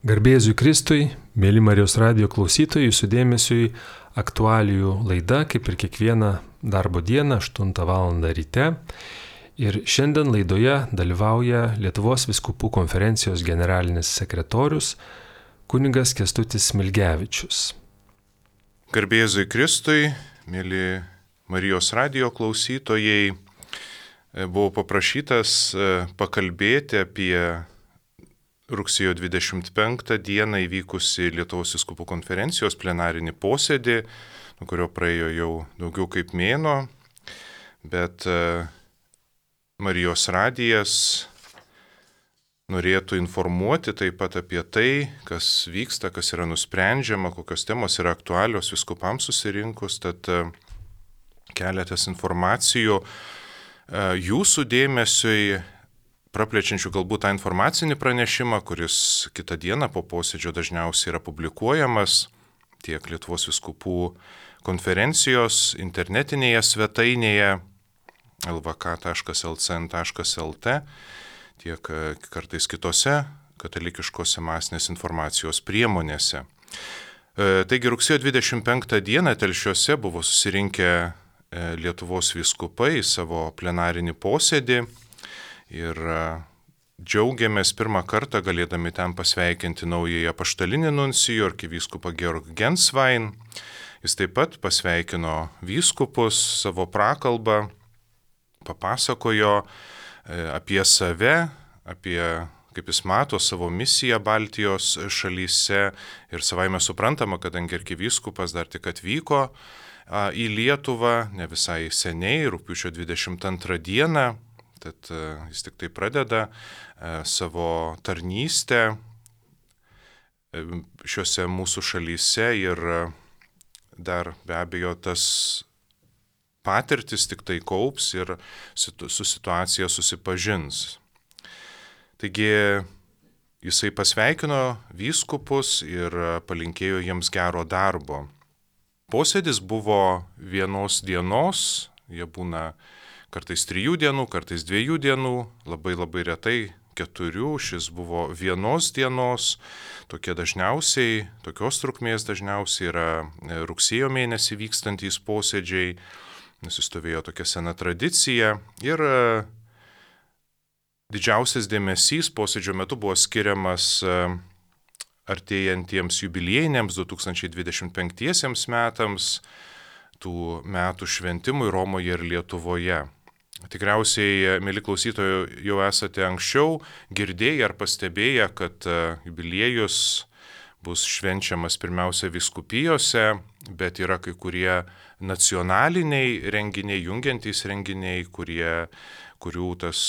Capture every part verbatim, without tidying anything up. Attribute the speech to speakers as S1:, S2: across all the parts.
S1: Garbė Jėzui Kristui, mėly Marijos radijo klausytojai, jūsų dėmesiui aktualijų laida, kaip ir kiekvieną darbo dieną, aštuntą valandą ryte. Ir šiandien laidoje dalyvauja Lietuvos vyskupų konferencijos generalinis sekretorius kunigas Kęstutis Smilgevičius.
S2: Garbė Jėzui Kristui, mėly Marijos radijo klausytojai, buvau paprašytas pakalbėti apie rugsėjo dvidešimt penktą dieną įvykusi Lietuvos vyskupų konferencijos plenarinį posėdį, nuo kurio praėjo jau daugiau kaip mėnuo, bet Marijos radijas norėtų informuoti taip pat apie tai, kas vyksta, kas yra nusprendžiama, kokios temos yra aktualios vyskupams susirinkus, tad keletas informacijų jūsų dėmesiui, praplečiančių galbūt tą informacinį pranešimą, kuris kitą dieną po posėdžio dažniausiai yra publikuojamas tiek Lietuvos vyskupų konferencijos internetinėje svetainėje el ve ka taškas el ce en taškas el te, tiek kartais kitose katalikiškose masinės informacijos priemonėse. Taigi rugsėjo dvidešimt penktą dieną Telšiuose buvo susirinkę Lietuvos vyskupai į savo plenarinį posėdį. Ir džiaugiamės pirmą kartą galėdami ten pasveikinti naująjį apaštalinį nuncijų arkivyskupą Georg Gensvain. Jis taip pat pasveikino vyskupus savo prakalbą, papasakojo apie save, apie kaip jis mato savo misiją Baltijos šalyse ir savaime suprantama, kadangi arkivyskupas dar tik atvyko į Lietuvą, ne visai seniai, rugpjūčio dvidešimt antrą dieną, tad jis tik tai pradeda savo tarnystę šiuose mūsų šalyse ir dar be abejo tas patirtis tik tai kaups ir su situacija susipažins. Taigi jisai pasveikino vyskupus ir palinkėjo jiems gero darbo. Posėdis buvo vienos dienos, jie būna kartais trijų dienų, kartais dviejų dienų, labai labai retai keturių, šis buvo vienos dienos, tokie dažniausiai, tokios trukmės dažniausiai yra rugsėjo mėnesį vykstantys posėdžiai, nusistovėjo tokia sena tradicija ir didžiausias dėmesys posėdžio metu buvo skiriamas artėjantiems jubiliejiniams du tūkstančiai dvidešimt penktiesiems metams, tų metų šventimui Romoje ir Lietuvoje. Tikriausiai, mėly klausytojai, jau esate anksčiau girdėję ar pastebėję, kad jubiliejus bus švenčiamas pirmiausia vyskupijose, bet yra kai kurie nacionaliniai renginiai, jungiantys renginiai, kurie, kurių tas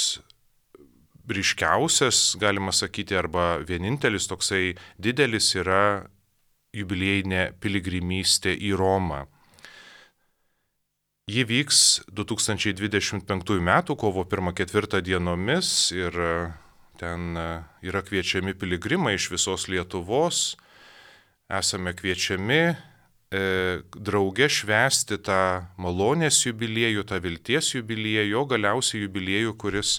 S2: ryškiausias, galima sakyti, arba vienintelis toksai didelis yra jubiliejinė piligrimystė į Romą. Ji vyks du tūkstančiai dvidešimt penktųjų metų kovo pirmą ketvirtą dienomis ir ten yra kviečiami piligrimai iš visos Lietuvos. Esame kviečiami e, drauge švęsti tą malonės jubiliejų, tą vilties jubiliejų, o galiausiai jubiliejų, kuris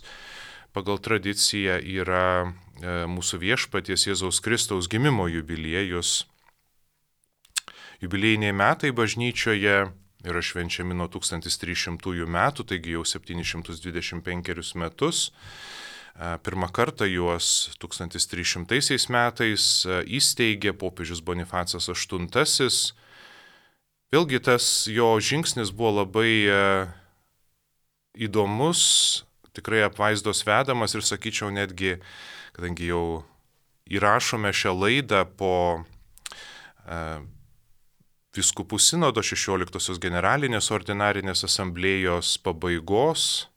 S2: pagal tradiciją yra e, mūsų viešpaties Jėzaus Kristaus gimimo jubiliejus. Jubiliejiniai metai bažnyčioje yra švenčiami nuo tūkstantis trys šimtųjų metų, taigi jau septyni šimtai dvidešimt penkerius metus. Pirmą kartą juos tūkstantis trys šimtaisiais metais įsteigė popiežius Bonifacas aštuntasis. Vėlgi tas jo žingsnis buvo labai įdomus, tikrai apvaizdos vedamas ir sakyčiau netgi, kadangi jau įrašome šią laidą po Vyskupų sinodo šešioliktosios generalinės ordinarinės asamblėjos pabaigos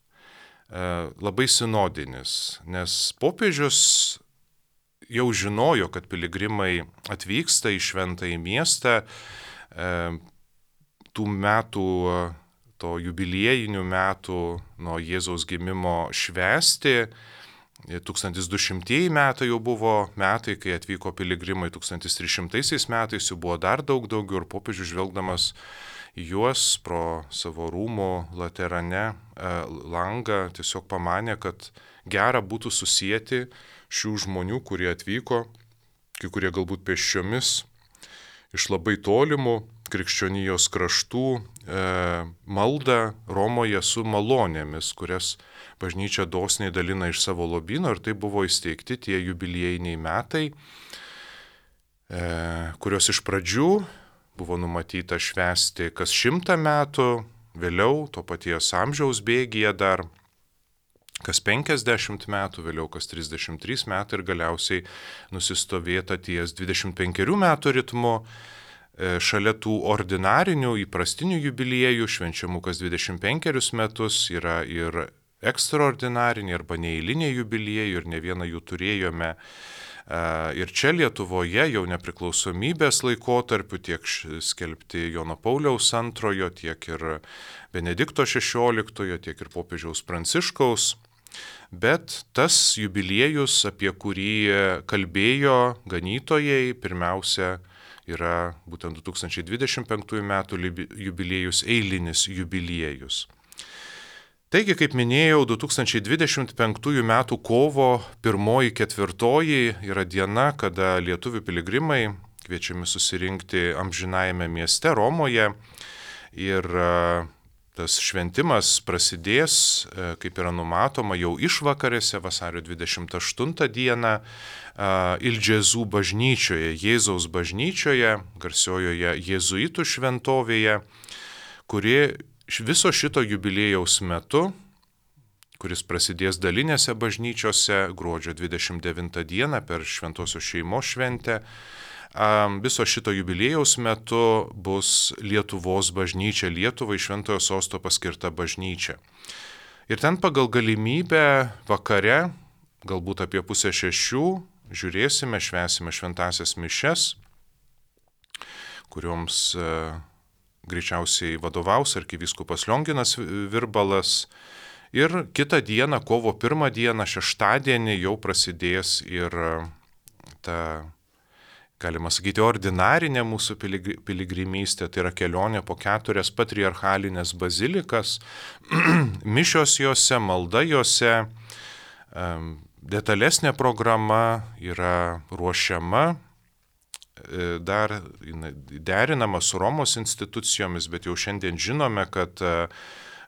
S2: labai sinodinis, nes popiežius jau žinojo, kad piligrimai atvyksta į šventąjį miestą tų metų, to jubiliejinių metų nuo Jėzaus gimimo švęsti. tūkstantis du šimtieji metai jau buvo metai, kai atvyko piligrimai, tūkstantis trys šimtaisiais metais jų buvo dar daug daugiau ir popiežius žvelgdamas į juos pro savo rūmų Laterane langą tiesiog pamanė, kad gera būtų susijęti šių žmonių, kurie atvyko kai kurie galbūt pėsčiomis iš labai tolimų krikščionijos kraštų e, maldą Romoje su malonėmis, kurias bažnyčia dosniai dalina iš savo lobyno, ir tai buvo įsteigti tie jubiliejiniai metai, e, kurios iš pradžių buvo numatyta švęsti kas šimtą metų, vėliau to paties amžiaus bėgyje dar kas penkiasdešimt metų, vėliau kas trisdešimt trys metai ir galiausiai nusistovėta ties dvidešimt penkerių metų ritmu. Šalia tų ordinarinių, įprastinių jubiliejų, švenčiamų kas dvidešimt penkerius metus, yra ir ekstraordinariniai arba neeiliniai jubiliejai, ir ne vieną jų turėjome. Ir čia Lietuvoje jau nepriklausomybės laikotarpiu tiek skelbti Jono Pauliaus antrojo, tiek ir Benedikto šešioliktojo, tiek ir popiežiaus Pranciškaus. Bet tas jubiliejus, apie kurį kalbėjo ganytojai, pirmiausia yra būtent du tūkstančiai dvidešimt penktųjų metų jubiliejus, eilinis jubiliejus. Taigi, kaip minėjau, du tūkstančiai dvidešimt penktųjų metų kovo pirmoji ketvirtoji yra diena, kada lietuvių piligrimai kviečiami susirinkti amžinajame mieste Romoje, ir tas šventimas prasidės, kaip yra numatoma, jau išvakarėse vasario dvidešimt aštuntą dieną Il Gesù bažnyčioje, Jėzaus bažnyčioje, garsiojoje jėzuitų šventovėje, kuri viso šito jubiliejaus metu, kuris prasidės dalinėse bažnyčiose gruodžio dvidešimt devintą dieną per Šventosios šeimos šventę, viso šito jubiliejaus metu bus Lietuvos bažnyčia, Lietuvai šventojo sosto paskirta bažnyčia. Ir ten pagal galimybę vakare, galbūt apie pusę šešių, žiūrėsime, švęsime šventąsias mišias, kurioms e, greičiausiai vadovaus arkivyskupas Lionginas Virbalas. Ir kitą dieną, kovo pirmą dieną, šeštadienį, jau prasidės ir ta, galima sakyti, ordinarinė mūsų piligrimystė, tai yra kelionė po keturias patriarchalinės bazilikas, mišios jose, malda jose, detalesnė programa yra ruošiama, dar derinama su Romos institucijomis, bet jau šiandien žinome, kad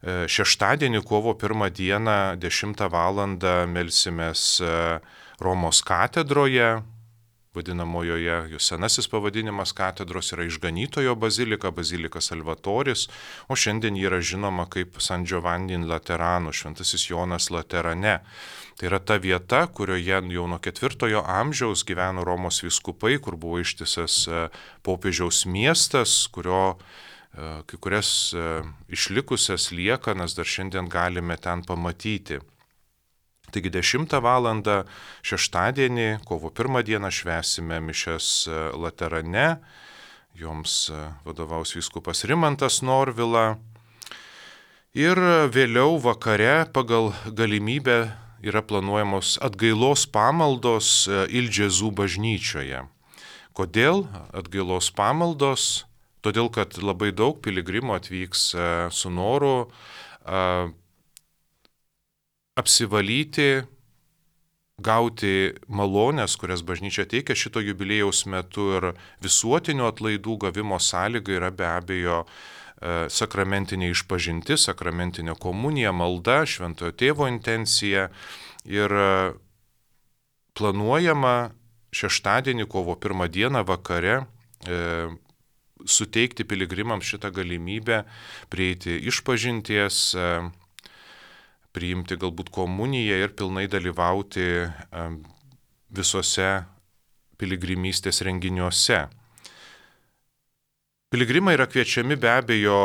S2: šeštadienį, kovo pirmą dieną, dešimtą valandą melsimės Romos katedroje, vadinamojoje, jos senasis pavadinimas katedros yra Išganytojo bazilika, bazilika Salvatoris, o šiandien yra žinoma kaip San Giovanni in Laterano, šventasis Jonas Laterane. Tai yra ta vieta, kurioje jau nuo ketvirtojo amžiaus gyveno Romos vyskupai, kur buvo ištisas popiežiaus miestas, kurio kai kurias išlikusias liekanas dar šiandien galime ten pamatyti. Taigi dešimtą valandą šeštadienį, kovo pirmą dieną, švęsime mišias Laterane, joms vadovaus vyskupas Rimantas Norvila. Ir vėliau vakare pagal galimybę yra planuojamos atgailos pamaldos Il Gesù bažnyčioje. Kodėl atgailos pamaldos? Todėl, kad labai daug piligrimų atvyks su noru apsivalyti, gauti malonės, kurias bažnyčia teikia šito jubiliejaus metu, ir visuotinių atlaidų gavimo sąlyga yra be abejo sakramentinė išpažintis, sakramentinė komunija, malda, šventojo tėvo intencija, ir planuojama šeštadienį, kovo pirmą dieną vakare e, suteikti piligrimams šitą galimybę prieiti išpažinties, e, priimti galbūt komuniją ir pilnai dalyvauti visose piligrimystės renginiuose. Piligrimai yra kviečiami be abejo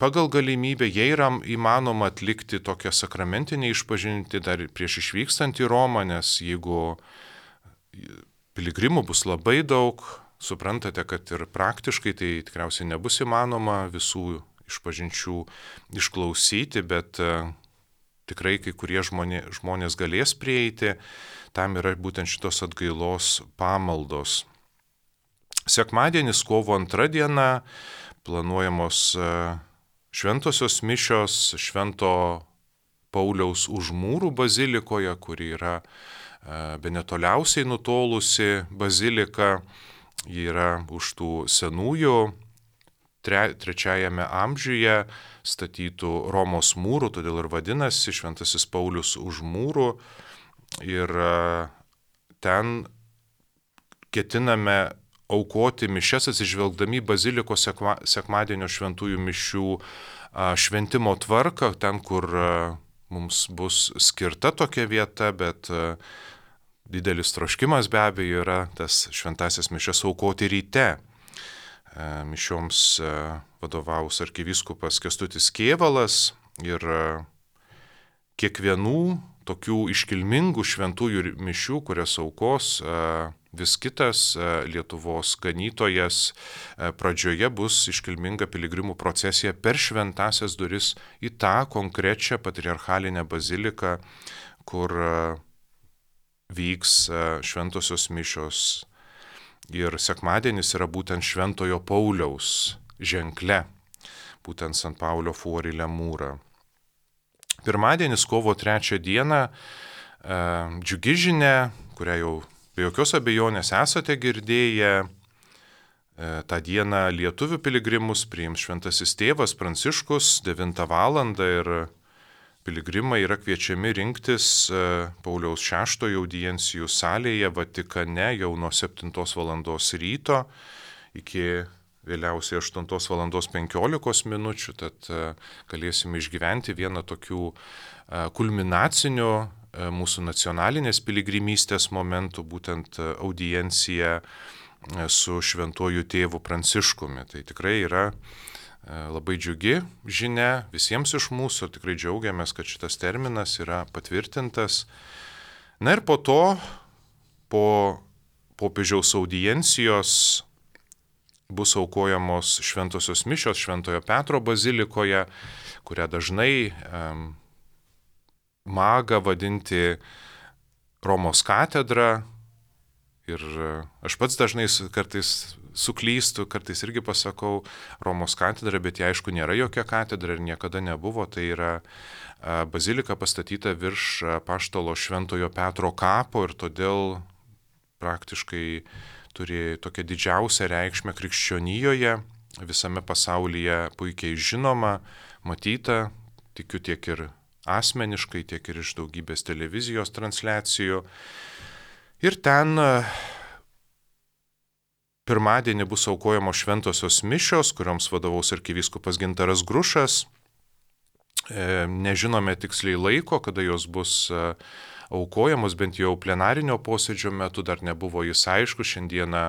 S2: pagal galimybę, jei yra įmanoma atlikti tokią sakramentinę išpažintį dar prieš išvykstant į Romą, nes jeigu piligrimų bus labai daug, suprantate, kad ir praktiškai tai tikriausiai nebus įmanoma visų išpažinčių išklausyti, bet uh, tikrai kai kurie žmonė, žmonės galės prieiti, tam yra būtent šitos atgailos pamaldos. Sekmadienis, kovo antra diena, planuojamos uh, šventosios mišios Švento Pauliaus Užmūrų bazilikoje, kuri yra bene toliausiai nutolusi bazilika. Ji yra už tų senųjų tre, trečiajame amžiuje statytų Romos mūrų, todėl ir vadinasi Šventasis Paulius už mūrų. Ir ten ketiname aukoti mišias atsižvelgdami bazilikos sekma, sekmadienio šventųjų mišių šventimo tvarką, ten, kur mums bus skirta tokia vieta, bet didelis troškimas be abejo yra tas šventasias mišias aukoti ryte. Mišioms vadovaus arkivyskupas Kęstutis Kėvalas ir kiekvienų tokių iškilmingų šventųjų mišių, kurias aukos vis kitas Lietuvos ganytojas, pradžioje bus iškilminga piligrimų procesija per šventasias duris į tą konkrečią patriarchalinę baziliką, kur vyks šventosios mišios. Ir sekmadienis yra būtent Šventojo Pauliaus ženkle, būtent Sant Paulio Fuori Lemūra. Pirmadienis, kovo trečią dieną, džiugi žinia, kurią jau be jokios abejonės esate girdėję. Ta diena lietuvių piligrimus priims Šventasis tėvas Pranciškus devintą valandą ir piligrimai yra kviečiami rinktis Pauliaus šeštojo audiencijų salėje Vatikane jau nuo septintos valandos ryto iki vėliausiai aštuntos valandos penkiolikos minučių, tad galėsime išgyventi vieną tokių kulminacinių mūsų nacionalinės piligrimystės momentų, būtent audienciją su šventuoju tėvu Pranciškumi. Tai tikrai yra labai džiugi žinia visiems iš mūsų, tikrai džiaugiamės, kad šitas terminas yra patvirtintas. Na ir po to, po popiežiaus audiencijos bus aukojamos šventosios mišios Šventojo Petro bazilikoje, kurią dažnai um, maga vadinti Romos katedra. Ir aš pats dažnai kartais suklystu, kartais irgi pasakau Romos katedra, bet jie aišku nėra jokia katedra ir niekada nebuvo. Tai yra bazilika pastatyta virš apaštalo Šventojo Petro kapo ir todėl praktiškai turi tokią didžiausią reikšmę krikščionijoje, visame pasaulyje puikiai žinoma, matyta, tikiu tiek ir asmeniškai, tiek ir iš daugybės televizijos transliacijų. Ir ten pirmadienį bus aukojamos šventosios mišios, kurioms vadovaus arkivyskupas Gintaras Grušas. Nežinome tiksliai laiko, kada jos bus aukojamos, bent jau plenarinio posėdžio metu dar nebuvo jis aišku. Šiandieną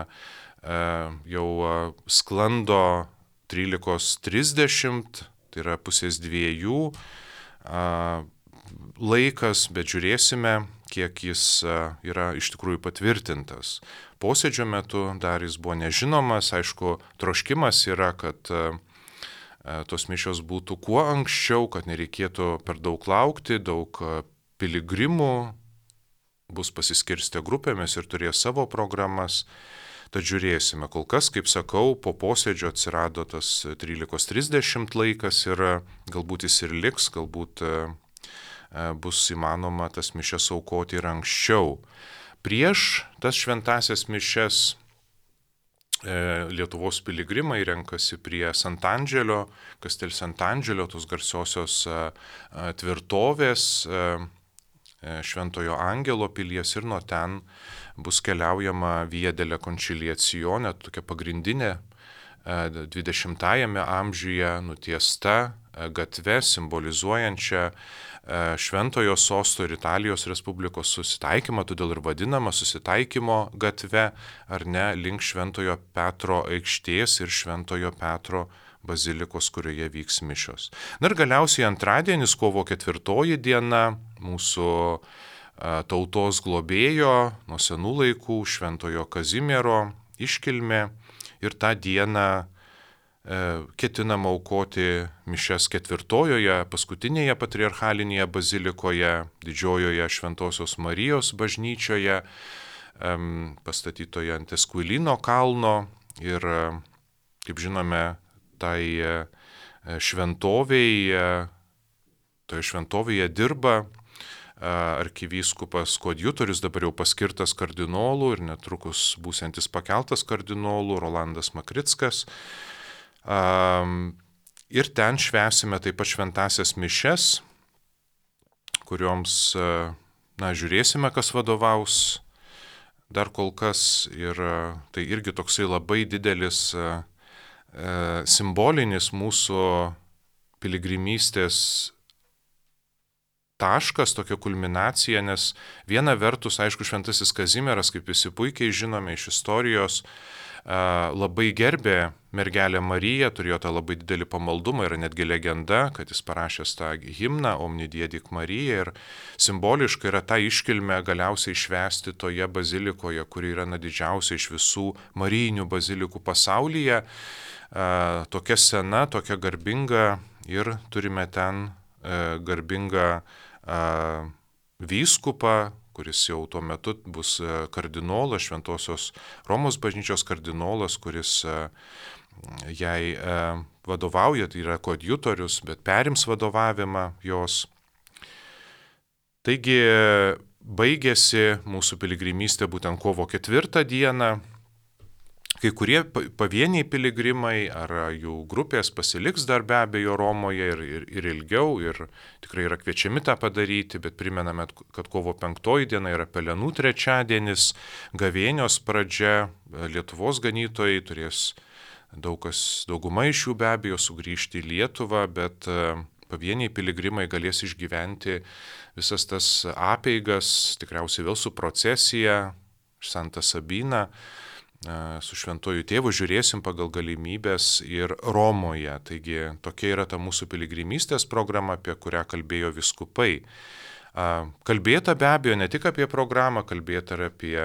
S2: jau sklando trylika trisdešimt, tai yra pusės dviejų laikas, bet žiūrėsime, kiek jis yra iš tikrųjų patvirtintas. Posėdžio metu dar jis buvo nežinomas, aišku, troškimas yra, kad tos mišios būtų kuo anksčiau, kad nereikėtų per daug laukti, daug piligrimų bus pasiskirstę grupėmis ir turės savo programas. Tad žiūrėsime, kol kas, kaip sakau, po posėdžio atsirado tas trylika trisdešimt laikas ir galbūt jis ir liks, galbūt bus įmanoma tas mišias aukoti ir anksčiau. Prieš tas šventasias mišias Lietuvos piligrimai renkasi prie Sant'Angelio, Kastel Sant'Angelio, tos garsiosios tvirtovės Šventojo Angelo pilies ir nuo ten bus keliaujama Via della Conciliazione, tokia pagrindinė dvidešimtajame amžiuje nutiesta gatve simbolizuojančia Šventojo sosto ir Italijos Respublikos susitaikymą, todėl ir vadinama susitaikymo gatve, ar ne, link Šventojo Petro aikštės ir Šventojo Petro bazilikos, kurioje vyks mišios. Na ir galiausiai antradienis, kovo ketvirtoji diena, mūsų tautos globėjo nuo senų laikų Šventojo Kazimiero iškilmė ir tą dieną ketinama aukoti mišias ketvirtojoje, paskutinėje patriarchalinėje bazilikoje, didžiojoje Šventosios Marijos bažnyčioje, pastatytoje ant Esquilino kalno. Ir, kaip žinome, tai šventovėje, toje šventovėje dirba arkivyskupas koadjutorius, dabar jau paskirtas kardinolų ir netrukus būsiantis pakeltas kardinolų Rolandas Makrickas. Ir ten švęsime taip pat šventasias mišes, kurioms, na, žiūrėsime, kas vadovaus dar kol kas. Ir tai irgi toksai labai didelis simbolinis mūsų piligrimystės taškas, tokia kulminacija, nes viena vertus, aišku, šventasis Kazimieras, kaip visi puikiai žinome iš istorijos, labai gerbė mergelę Mariją, turėjo tą labai didelį pamaldumą, yra netgi legenda, kad jis parašęs tą himną Omni Diedik Marija, ir simboliškai yra tą iškilmę galiausiai švęsti toje bazilikoje, kuri yra na didžiausia iš visų marijinių bazilikų pasaulyje, tokia sena, tokia garbinga, ir turime ten garbingą vyskupą, kuris jau tuo metu bus kardinolas, Šventosios Romos bažnyčios kardinolas, kuris jai vadovauja, tai yra koadjutorius, bet perims vadovavimą jos. Taigi baigėsi mūsų piligrimystė būtent kovo ketvirtą dieną. Kai kurie pavieniai piligrimai ar jų grupės pasiliks dar be abejo Romoje ir, ir, ir ilgiau, ir tikrai yra kviečiami tą padaryti, bet primename, kad kovo penktoji diena yra Pelenų trečiadienis, gavėnios pradžia, Lietuvos ganytojai turės daug kas, dauguma iš jų be abejo sugrįžti į Lietuvą, bet pavieniai piligrimai galės išgyventi visas tas apeigas, tikriausiai vėl su procesija, Santa Sabina, su šventuoju tėvu žiūrėsim pagal galimybės ir Romoje. Taigi tokia yra ta mūsų piligrimystės programa, apie kurią kalbėjo vyskupai. Kalbėta be abejo ne tik apie programą, kalbėta ir apie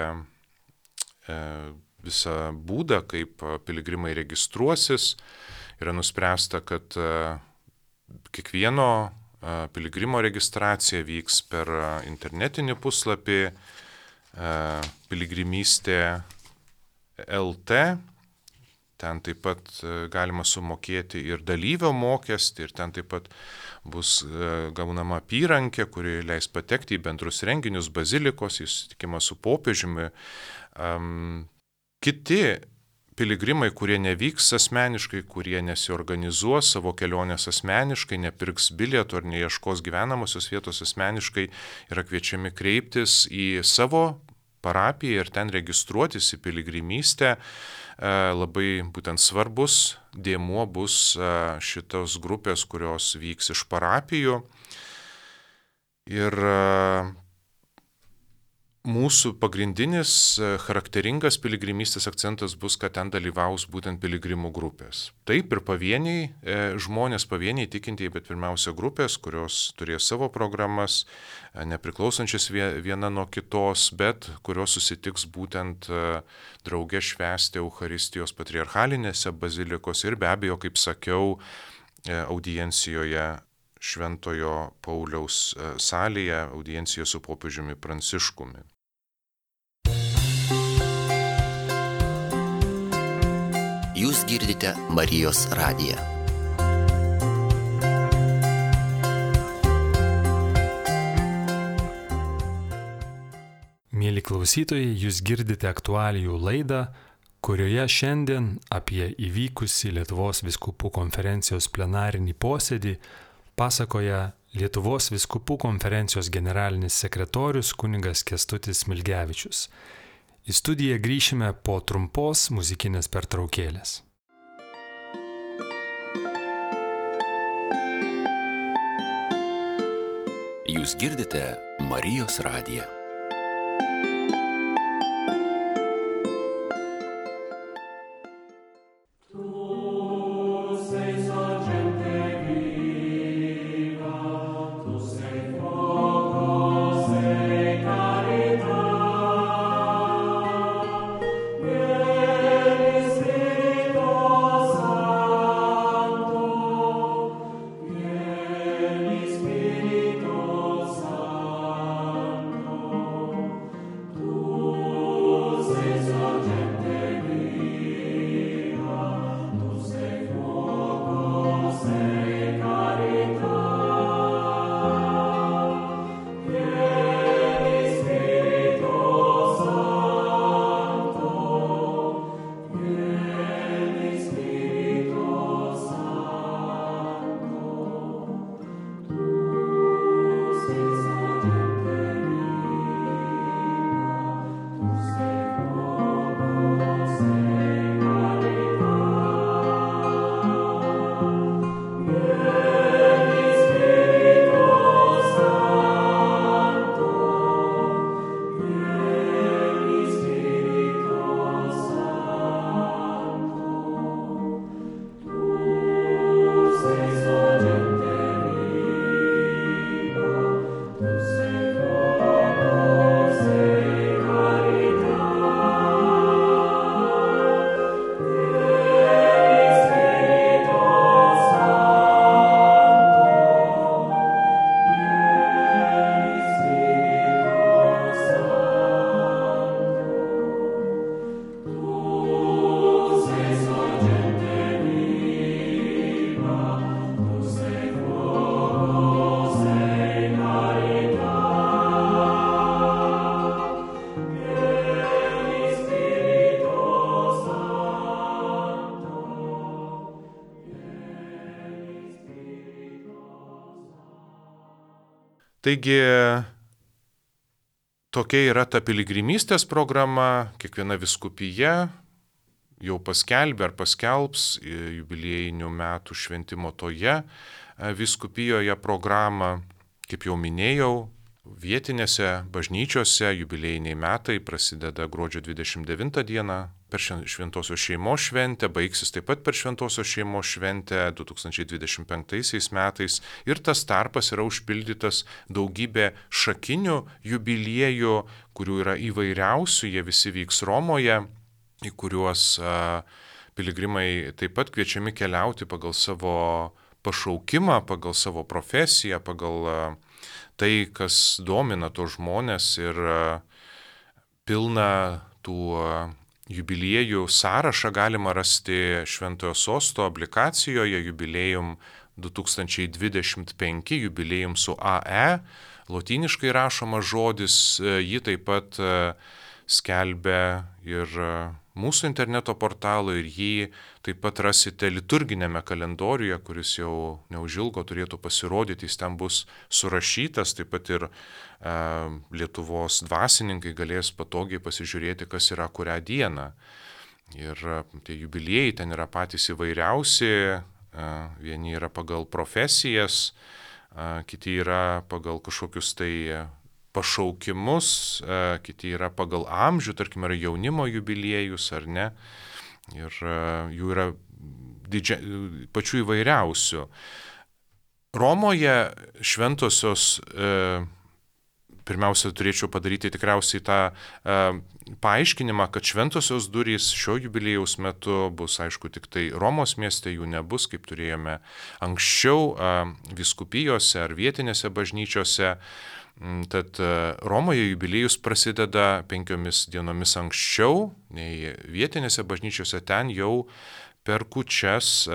S2: visą būdą, kaip piligrimai registruosis. Yra nuspręsta, kad kiekvieno piligrimo registracija vyks per internetinį puslapį piligrimystė L T, ten taip pat galima sumokėti ir dalyvio mokestį, ir ten taip pat bus gaunama apyrankė, kuri leis patekti į bendrus renginius, bazilikos, į susitikimą su popiežiumi. Um, kiti piligrimai, kurie nevyks asmeniškai, kurie nesiorganizuos savo kelionės asmeniškai, nepirks bilietų ar neieškos gyvenamosios vietos asmeniškai, yra kviečiami kreiptis į savo parapiją ir ten registruotis į piligrimystę. Labai būtent svarbus dėmuo bus šitos grupės, kurios vyks iš parapijų. Ir mūsų pagrindinis charakteringas piligrimystės akcentas bus, kad ten dalyvaus būtent piligrimų grupės. Taip ir pavieniai žmonės, pavieniai tikintieji, bet pirmiausia grupės, kurios turės savo programas, nepriklausančias viena nuo kitos, bet kurios susitiks būtent drauge švęsti Eucharistijos patriarchalinėse bazilikos ir be abejo, kaip sakiau, audiencijoje Šventojo Pauliaus salėje, audiencijoje su popiežiumi Pranciškumi.
S3: Jūs girdite Marijos radiją.
S1: Mėly klausytojai, jūs girdite aktualijų laidą, kurioje šiandien apie įvykusį Lietuvos vyskupų konferencijos plenarinį posėdį pasakoja Lietuvos vyskupų konferencijos generalinis sekretorius kunigas Kęstutis Smilgevičius. Į studiją grįšime po trumpos muzikinės pertraukėlės.
S3: Jūs girdite Marijos radiją.
S4: Spiritus Sancto
S2: Taigi tokia yra ta piligrimystės programa, kiekviena vyskupija jau paskelbė ar paskelbs jubiliejinių metų šventimo toje vyskupijoje programą. Kaip jau minėjau, vietinėse bažnyčiose jubiliejiniai metai prasideda gruodžio dvidešimt devintą dieną per Šventosios šeimos šventę, baigsis taip pat per Šventosios šeimos šventę du tūkstančiai dvidešimt penktaisiais metais ir tas tarpas yra užpildytas daugybė šakinių jubiliejų, kurių yra įvairiausių, jie visi vyks Romoje, į kuriuos a, piligrimai taip pat kviečiami keliauti pagal savo pašaukimą, pagal savo profesiją, pagal a, tai, kas domina tos žmonės ir a, pilna tų a, jubiliejų sąrašą galima rasti Šventojo Sosto aplikacijoje Jubiliejum du tūkstančiai dvidešimt penki, jubiliejum su A E, lotyniškai rašomas žodis, jį taip pat skelbia ir mūsų interneto portalo ir jį taip pat rasite liturginėme kalendoriuje, kuris jau neužilgo turėtų pasirodyti, jis ten bus surašytas, taip pat ir e, Lietuvos dvasininkai galės patogiai pasižiūrėti, kas yra kurią dieną. Ir tie jubiliejai ten yra patys įvairiausi, e, vieni yra pagal profesijas, e, kiti yra pagal kažkokius tai pašaukimus, kiti yra pagal amžių, tarkim, yra jaunimo jubiliejus ar ne, ir jų yra didžia, pačių įvairiausių. Romoje šventosios, pirmiausia, turėčiau padaryti tikriausiai tą paaiškinimą, kad šventosios durys šio jubiliejaus metu bus, aišku, tik tai Romos mieste, jų nebus, kaip turėjome anksčiau vyskupijose ar vietinėse bažnyčiose. Tad Romoje jubiliejus prasideda penkiomis dienomis anksčiau nei vietinėse bažnyčiose, ten jau per kūčias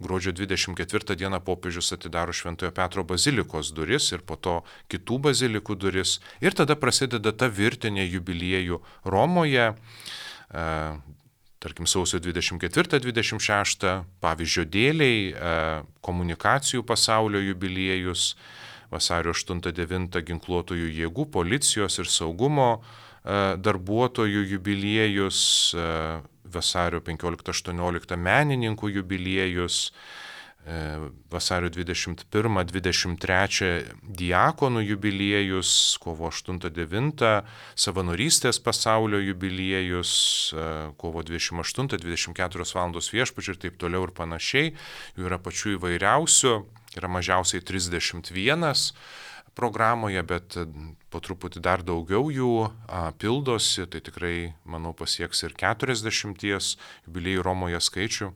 S2: gruodžio dvidešimt ketvirtą dieną popiežius atidaro Šventojo Petro bazilikos duris ir po to kitų bazilikų duris ir tada prasideda ta virtinė jubiliejų Romoje, tarkim sausio dvidešimt ketvirtą dvidešimt šeštą, pavyzdžio dėliai, komunikacijų pasaulio jubiliejus, vasario aštuntą devintą ginkluotojų jėgų, policijos ir saugumo darbuotojų jubiliejus, vasario penkioliktą aštuonioliktą menininkų jubiliejus, vasario dvidešimt pirmą dvidešimt trečią diakonų jubiliejus, kovo aštuntą devintą savanorystės pasaulio jubiliejus, kovo dvidešimt aštuntą dvidešimt keturios valandos viešpačiui ir taip toliau ir panašiai. Jų yra pačių įvairiausių. Yra mažiausiai trisdešimt vienas programoje, bet po truputį dar daugiau jų a, pildosi, tai tikrai, manau, pasieks ir keturiasdešimties jubiliejų Romoje skaičių.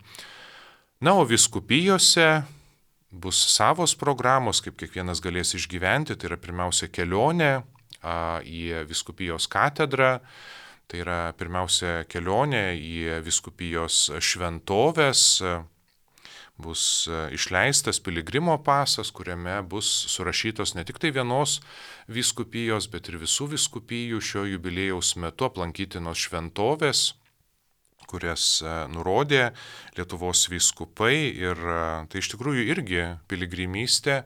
S2: Na, o vyskupijose bus savos programos, kaip kiekvienas galės išgyventi, tai yra pirmiausia kelionė a, į vyskupijos katedrą, tai yra pirmiausia kelionė į vyskupijos šventoves, bus išleistas piligrimo pasas, kuriame bus surašytos ne tik tai vienos vyskupijos, bet ir visų vyskupijų šio jubiliejaus metu aplankytinos šventovės, kurias nurodė Lietuvos vyskupai ir tai iš tikrųjų irgi piligrimystė,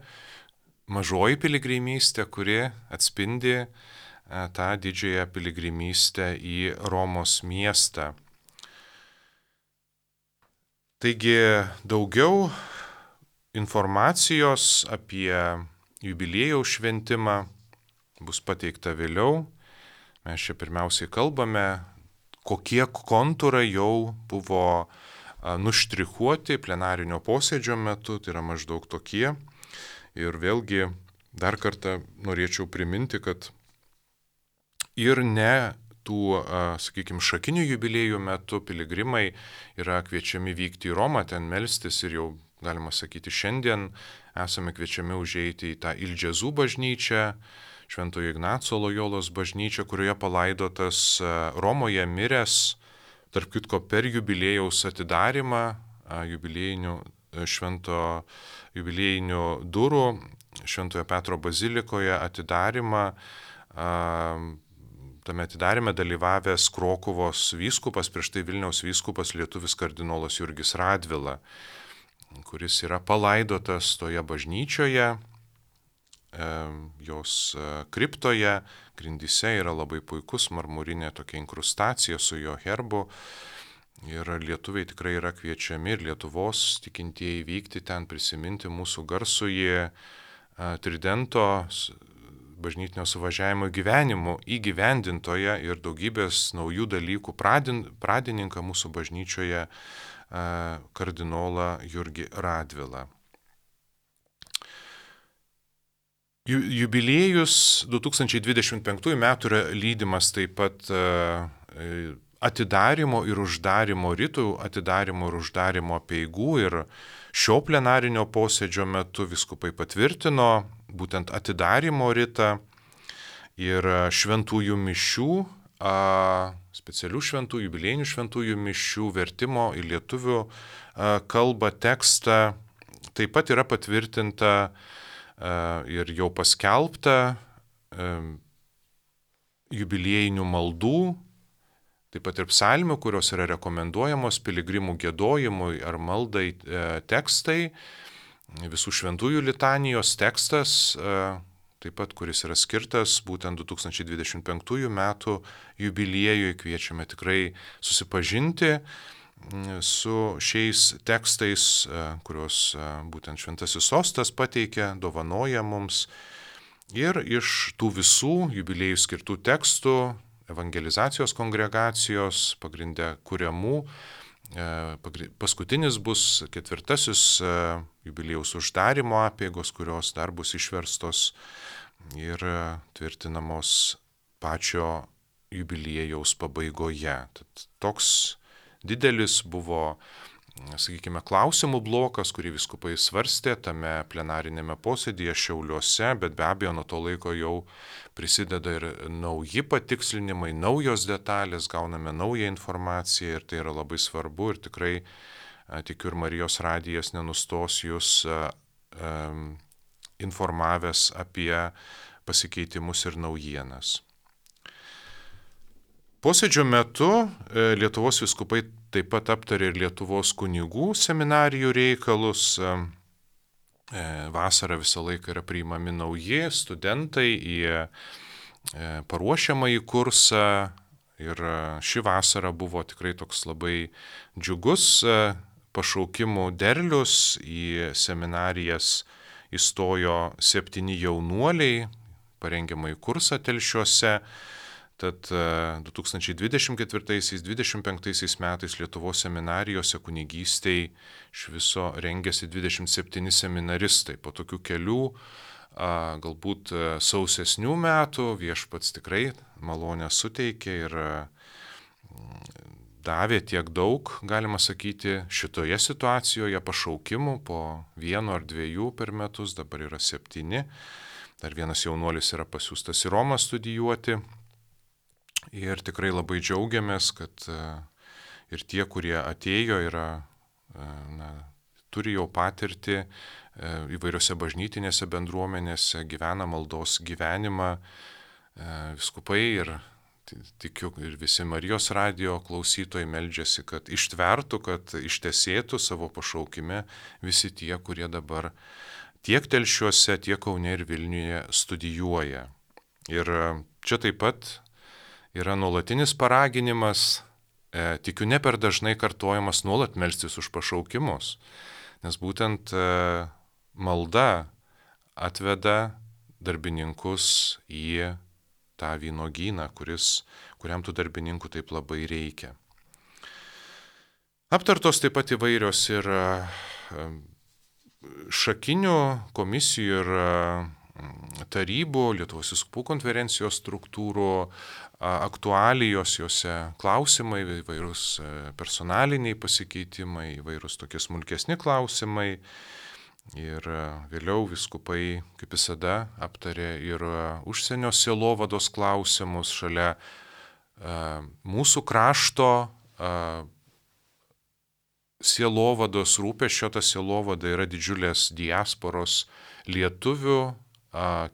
S2: mažoji piligrimystė, kuri atspindi tą didžiąją piligrimystę į Romos miestą. Taigi daugiau informacijos apie jubiliejaus šventimą bus pateikta vėliau. Mes čia pirmiausiai kalbame, kokie kontūrai jau buvo nuštrichuoti plenarinio posėdžio metu, tai yra maždaug tokie. Ir vėlgi dar kartą norėčiau priminti, kad ir ne tų, sakykime, šakinių jubiliejų metu piligrimai yra kviečiami vykti į Romą, ten melstis ir jau, galima sakyti, šiandien esame kviečiami užeiti į tą Ildžezų bažnyčią, Šventojo Ignaco Lojolos bažnyčią, kurioje palaidotas Romoje miręs, tarp kitko per jubiliejaus atidarimą, jubiliejinių, švento, jubiliejinių durų, Šventojo Petro bazilikoje atidarimą, tame atidarime dalyvavęs Krokuvos vyskupas, prieš tai Vilniaus vyskupas lietuvis kardinolas Jurgis Radvila, kuris yra palaidotas toje bažnyčioje. jos kriptoje, grindyse yra labai puikus marmurinė tokia inkrustacija su jo herbu. Ir lietuviai tikrai yra kviečiami ir Lietuvos tikintieji vykti ten, prisiminti mūsų garsųjį Tridento bažnytinio suvažiavimo gyvenimo įgyvendintoje ir daugybės naujų dalykų pradin, pradininką mūsų bažnyčioje kardinolą Jurgį Radvilą. Jubiliejus du tūkstančiai dvidešimt penktųjų metų yra lydimas taip pat atidarimo ir uždarimo ritų, atidarimo ir uždarimo apeigų, ir šio plenarinio posėdžio metu vyskupai patvirtino būtent atidarimo ritą ir šventųjų mišių, specialių šventųjų, jubiliejinių šventųjų mišių vertimo į lietuvių kalbą tekstą taip pat yra patvirtinta ir jau paskelbta jubiliejinių maldų, taip pat ir psalmių, kurios yra rekomenduojamos piligrimų giedojimui ar maldai tekstai, visų šventųjų litanijos tekstas, taip pat kuris yra skirtas būtent du tūkstančiai dvidešimt penktųjų metų jubiliejui. Kviečiame tikrai susipažinti su šiais tekstais, kuriuos būtent Šventasis Sostas pateikia, dovanoja mums. Ir iš tų visų jubiliejų skirtų tekstų evangelizacijos kongregacijos pagrindę kuriamų, paskutinis bus ketvirtasis jubiliejaus uždarimo apeigos, kurios dar bus išverstos ir tvirtinamos pačio jubiliejaus pabaigoje. Tad toks didelis buvo, sakykime, klausimų blokas, kurį vyskupai svarstė tame plenarinėme posėdyje Šiauliuose, bet be abejo nuo to laiko jau prisideda ir nauji patikslinimai, naujos detalės, gauname naują informaciją ir tai yra labai svarbu ir tikrai tikiu ir Marijos radijas nenustos jūs um, informavęs apie pasikeitimus ir naujienas. Posėdžio metu Lietuvos vyskupai taip pat aptarė ir Lietuvos kunigų seminarijų reikalus. Vasarą visą laiką yra priimami nauji studentai į paruošiamąjį kursą ir ši vasara buvo tikrai toks labai džiugus pašaukimų derlius. Į seminarijas įstojo septyni jaunuoliai, parengiamąjį kursą Telšiuose. Tad du tūkstančiai dvidešimt ketvirtaisiais dvidešimt penktaisiais metais Lietuvos seminarijose kunigystei iš viso rengėsi dvidešimt septyni seminaristai. Po tokių kelių, galbūt sausesnių metų viešpats tikrai malonę suteikė ir davė tiek daug, galima sakyti, šitoje situacijoje pašaukimų po vieno ar dviejų per metus, dabar yra septyni. Dar vienas jaunuolis yra pasiųstas į Romą studijuoti. Ir tikrai labai džiaugiamės, kad ir tie, kurie atėjo, yra, na, turi jau patirti įvairiose bažnytinėse bendruomenėse, gyvena maldos gyvenimą, vyskupai ir tikiu ir visi Marijos radijo klausytojai meldžiasi, kad ištvertų, kad ištesėtų savo pašaukime visi tie, kurie dabar tiek Telšiuose, tiek Kaune ir Vilniuje studijuoja. Ir čia taip pat yra nuolatinis paraginimas, e, tikiu ne per dažnai kartojamas nuolat melstis už pašaukimus, nes būtent e, malda atveda darbininkus į tą vynuogyną, kuris, kuriam tų darbininkų taip labai reikia. Aptartos taip pat įvairios ir e, šakinių komisijų ir tarybų, Lietuvos vyskupų konferencijos struktūrų aktualijos, juose klausimai, įvairūs personaliniai pasikeitimai, įvairūs tokie smulkesni klausimai. Ir vėliau vyskupai, kaip visada, aptarė ir užsienio sielovados klausimus šalia mūsų krašto sielovados rūpesčio. Ta sielovada yra didžiulės diasporos lietuvių,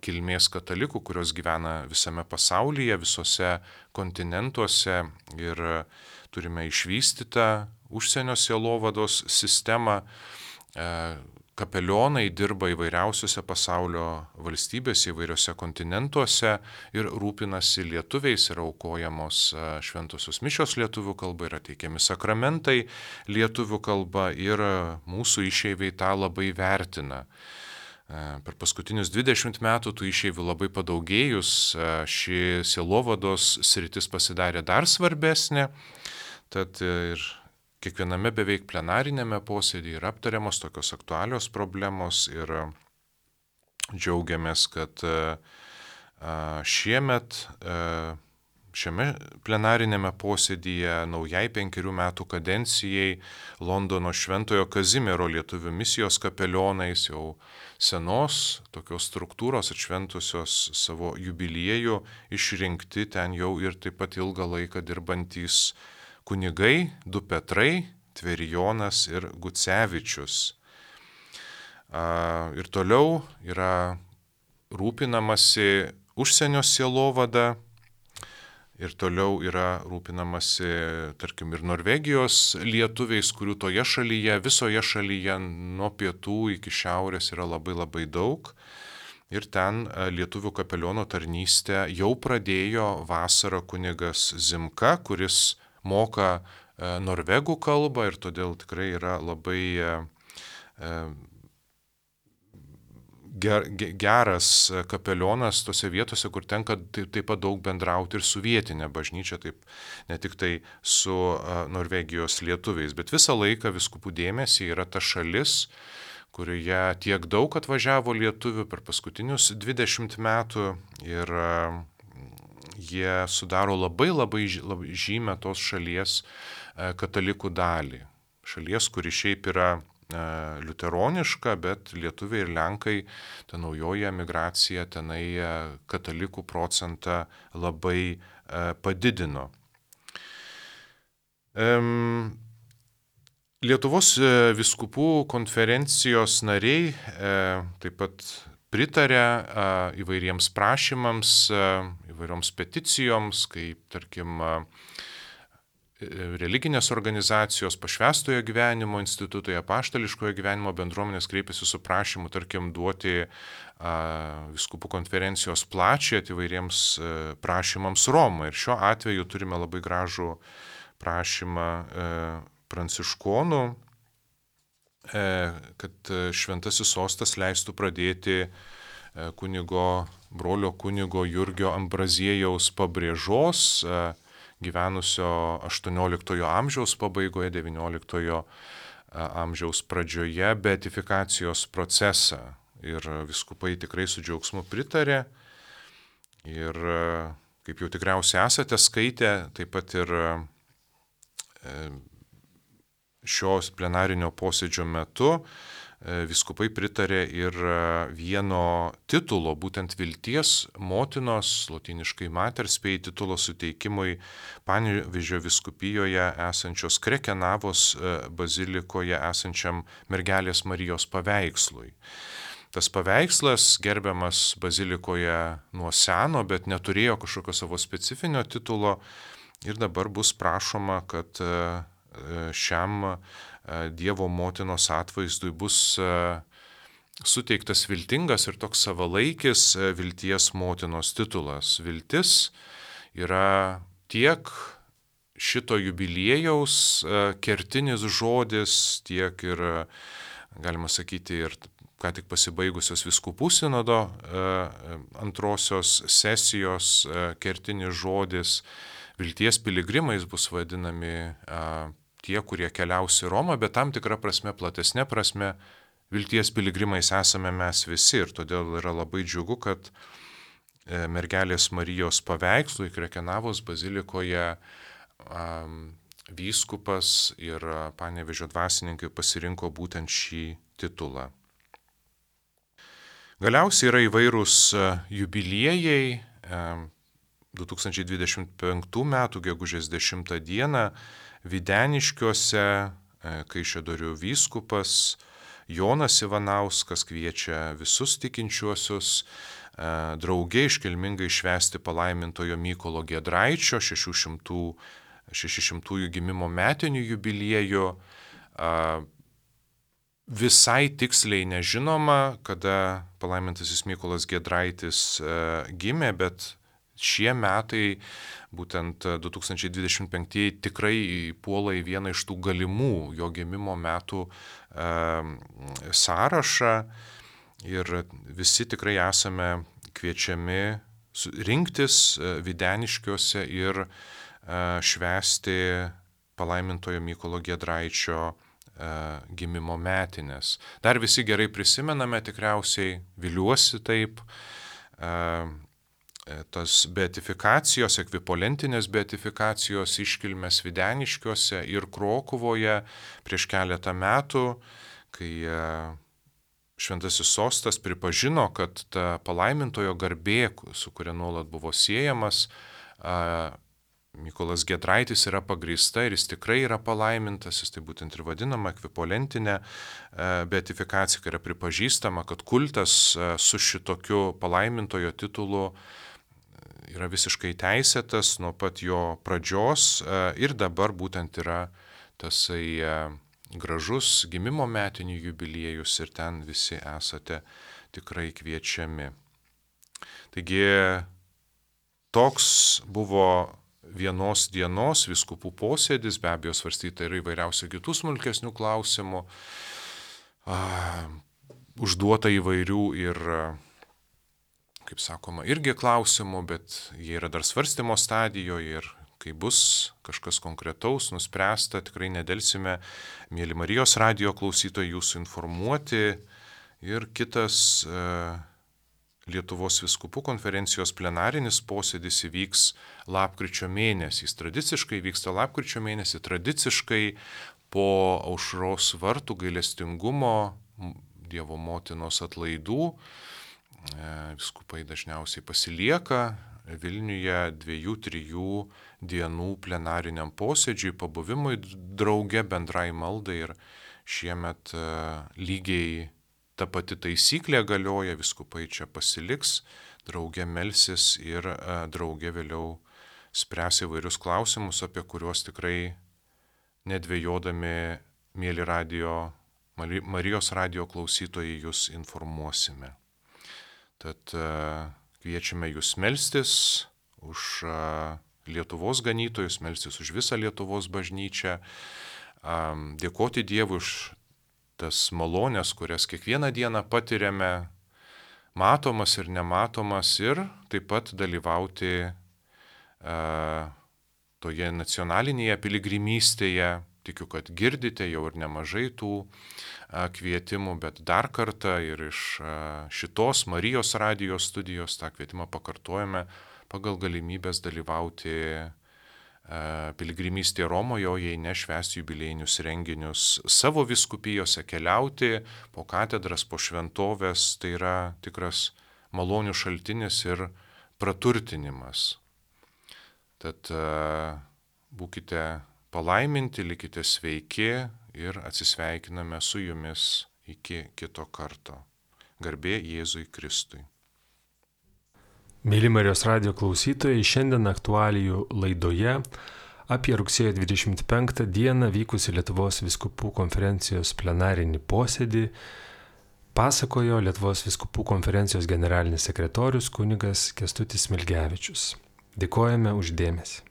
S2: kilmės katalikų, kurios gyvena visame pasaulyje, visose kontinentuose ir turime išvystytą užsienio sielovados sistemą, kapelionai dirba įvairiausiuose pasaulio valstybėse, įvairiuose kontinentuose ir rūpinasi lietuviais, yra aukojamos šventosios mišios lietuvių kalba, yra teikiami sakramentai lietuvių kalba ir mūsų išeiviai tą labai vertina. Per paskutinius dvidešimt metų tų išeivių labai padaugėjus, ši sielovados sritis pasidarė dar svarbesnė, tad ir kiekviename beveik plenarinėme posėdyje yra aptariamos tokios aktualios problemos ir džiaugiamės, kad šiemet šiame plenarinėme posėdyje naujai penkerių metų kadencijai Londono Šventojo Kazimiero lietuvių misijos kapelionais jau senos tokios struktūros atšventusios savo jubiliejų išrinkti ten jau ir taip pat ilgą laiką dirbantys kunigai, du Petrai, Tverijonas ir Gucevičius. Ir toliau yra rūpinamasi užsienio sielovada ir toliau yra rūpinamasi, tarkim, ir Norvegijos lietuviais, kurių toje šalyje, visoje šalyje nuo pietų iki šiaurės yra labai labai daug. Ir ten lietuvių kapeliono tarnystę jau pradėjo vasarą kunigas Zimka, kuris moka norvegų kalbą ir todėl tikrai yra labai geras kapelionas tose vietose, kur tenka taip pat daug bendrauti ir su vietinė bažnyčia, taip ne tik tai su Norvegijos lietuviais, bet visą laiką vyskupų dėmesį yra ta šalis, kurioje tiek daug atvažiavo lietuvių per paskutinius dvidešimt metų ir jie sudaro labai labai žymę tos šalies katalikų dalį. Šalies, kuri šiaip yra liuteroniška, bet lietuviai ir lenkai, ta naujoji emigracija tenai katalikų procentą labai padidino. Lietuvos vyskupų konferencijos nariai taip pat pritarė įvairiems prašymams, įvairioms peticijoms, kaip, tarkim, religinės organizacijos, pašvęstojo gyvenimo institutai, apaštališkojo gyvenimo bendruomenės kreipėsi su prašymu, tarkim, duoti vyskupų konferencijos plačią įvairiems prašymams Romą. Ir šiuo atveju turime labai gražų prašymą pranciškonų, kad šventasis sostas leistų pradėti kunigo, brolio kunigo Jurgio Ambraziejaus pabrėžos, gyvenusio aštuonioliktojo amžiaus pabaigoje, devynioliktojo amžiaus pradžioje, beatifikacijos procesą. Ir vyskupai tikrai su džiaugsmu pritarė. Ir kaip jau tikriausiai esate skaitę, taip pat ir šios plenarinio posėdžio metu vyskupai pritarė ir vieno titulo, būtent vilties motinos, lotyniškai Mater Spei titulo suteikimui Panevėžio vyskupijoje esančios Krekenavos bazilikoje esančiam Mergelės Marijos paveikslui. Tas paveikslas gerbiamas bazilikoje nuo seno, bet neturėjo kažkokio savo specifinio titulo ir dabar bus prašoma, kad šiam Dievo motinos atvaizdui bus suteiktas viltingas ir toks savalaikis vilties motinos titulas. Viltis yra tiek šito jubiliejaus kertinis žodis, tiek ir, galima sakyti, ir ką tik pasibaigusios vyskupų sinodo antrosios sesijos kertinis žodis. Vilties piligrimais bus vadinami tie, kurie keliaus į Romą, bet tam tikra prasme, platesnė prasme, vilties piligrimais esame mes visi ir todėl yra labai džiugu, kad Mergelės Marijos paveikslui Krekenavos bazilikoje vyskupas ir Panevėžio dvasininkai pasirinko būtent šį titulą. Galiausiai yra įvairūs jubiliejai. du tūkstančiai dvidešimt penktų metų gegužės dešimtą dieną Videniškiuose Kaišiadorių vyskupas Jonas Ivanauskas kviečia visus tikinčiuosius drauge iškilmingai švęsti palaimintojo Mykolo Giedraičio šešišimtųjų gimimo metinių jubiliejų. visai tiksliai nežinoma, kada palaimintasis Mykolas Giedraitis gimė, bet šie metai, būtent du tūkstančiai dvidešimt penktieji, tikrai puola į vieną iš tų galimų jo gimimo metų sąrašą ir visi tikrai esame kviečiami rinktis Videniškiuose ir švęsti palaimintojo Mykolo Giedraičio gimimo metinės. Dar visi gerai prisimename, tikriausiai, viliuosi taip, tas beatifikacijos, ekvipolentinės beatifikacijos iškilmės Videniškiuose ir Krokuvoje prieš keletą metų, kai Šventasis Sostas pripažino, kad ta palaimintojo garbė, su kuria nuolat buvo siejamas, Mykolas Giedraitis yra pagrįsta ir jis tikrai yra palaimintas, jis tai būtent ir vadinama ekvipolentinė beatifikacija, kai yra pripažįstama, kad kultas su šitokiu palaimintojo titulu yra visiškai teisėtas nuo pat jo pradžios ir dabar būtent yra tasai gražus gimimo metinių jubiliejus ir ten visi esate tikrai kviečiami. Taigi toks buvo vienos dienos vyskupų posėdis, be abejo svarstyta ir įvairiausių kitų smulkesnių klausimų, užduota įvairių ir, kaip sakoma, irgi klausimų, bet jie yra dar svarstymo stadijoje ir kai bus kažkas konkretaus, nuspręsta, tikrai nedelsime, mėly Marijos radijo klausytojai, jūsų informuoti. Ir kitas Lietuvos vyskupų konferencijos plenarinis posėdis įvyks lapkričio mėnesį. Jis tradiciškai vyksta lapkričio mėnesį, tradiciškai po Aušros vartų gailestingumo Dievo motinos atlaidų. Vyskupai dažniausiai pasilieka Vilniuje dviejų, trijų dienų plenariniam posėdžiui, pabuvimui drauge, bendrai maldai ir šiemet lygiai ta pati taisyklė galioja, vyskupai čia pasiliks, drauge melsis ir drauge vėliau spręs įvairius klausimus, apie kuriuos tikrai nedvejodami, mėly radio, Marijos radijo klausytojai, jūs informuosime. Tad kviečiame jūs melstis už Lietuvos ganytojus, melstis už visą Lietuvos bažnyčią, dėkoti Dievui už tas malonės, kurias kiekvieną dieną patiriame, matomas ir nematomas, ir taip pat dalyvauti a, toje nacionalinėje piligrimystėje. Tikiu, kad girdite jau ir nemažai tų a, kvietimų, bet dar kartą ir iš a, šitos Marijos radijo studijos tą kvietimą pakartojame pagal galimybės dalyvauti piligrimystė Romoje, jei nešvęsti jubiliejinius renginius savo vyskupijose, keliauti po katedras, po šventovės, tai yra tikras malonių šaltinis ir praturtinimas. Tad būkite palaiminti, likite sveiki ir atsisveikiname su jumis iki kito karto. Garbė Jėzui Kristui.
S1: Mėly Marijos radijo klausytojai, šiandien aktualijų laidoje apie rugsėjo dvidešimt penktą dieną vykusi Lietuvos vyskupų konferencijos plenarinį posėdį pasakojo Lietuvos vyskupų konferencijos generalinis sekretorius kunigas Kęstutis Smilgevičius. Dėkojame už dėmesį.